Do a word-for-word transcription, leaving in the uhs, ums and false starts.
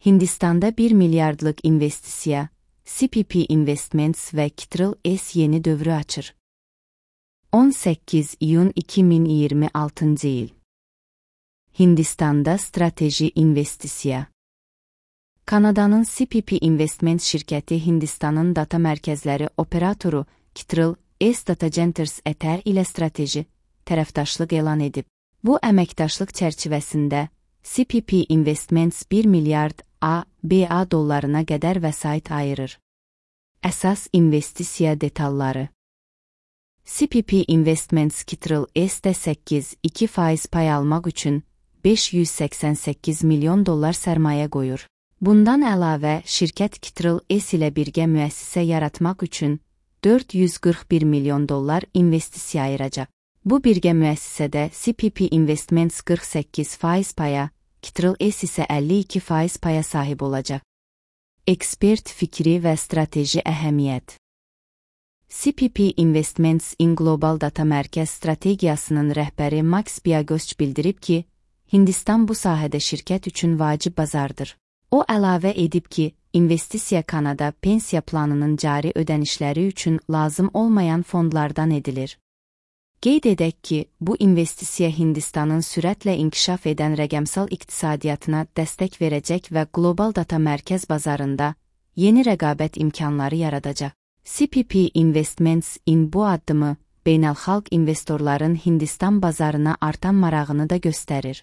Hindistanda bir milyardlıq investisiya, C P P Investments və Kytrl S yeni dövrü açır. on səkkiz iyun iki min iyirmi altıncı il. Hindistanda strateji investisiya. Kanadanın C P P Investments şirkəti Hindistanın data mərkəzləri operatoru Kytrl S Data Centers Etər ilə strateji tərəfdaşlıq elan edib. Bu əməkdaşlıq çərçivəsində C P P Investments bir milyard A B A dollarına qədər vəsait ayırır. Əsas investisiya detalları. C P P Investments Kytrl S-də səkkiz nöqtə iki faiz pay almaq üçün beş yüz səksən səkkiz milyon dollar sərmayə qoyur. Bundan əlavə, şirkət Kytrl S ilə birgə müəssisə yaratmaq üçün dörd yüz qırx bir milyon dollar investisiya ayıracaq. Bu birgə müəssisədə C P P Investments qırx səkkiz faiz paya, Kytrl S isə əlli iki faiz paya sahib olacaq. Ekspert fikri və strateji əhəmiyyət. C P P Investments in Global Data Mərkəz strategiyasının rəhbəri Max Biagosç bildirib ki, Hindistan bu sahədə şirkət üçün vacib bazardır. O əlavə edib ki, investisiya Kanada pensiya planının cari ödənişləri üçün lazım olmayan fondlardan edilir. Qeyd edək ki, bu investisiya Hindistanın sürətlə inkişaf edən rəqəmsal iqtisadiyyatına dəstək verəcək və qlobal data mərkəz bazarında yeni rəqabət imkanları yaradacaq. C P P Investments in bu addımı beynəlxalq investorların Hindistan bazarına artan marağını da göstərir.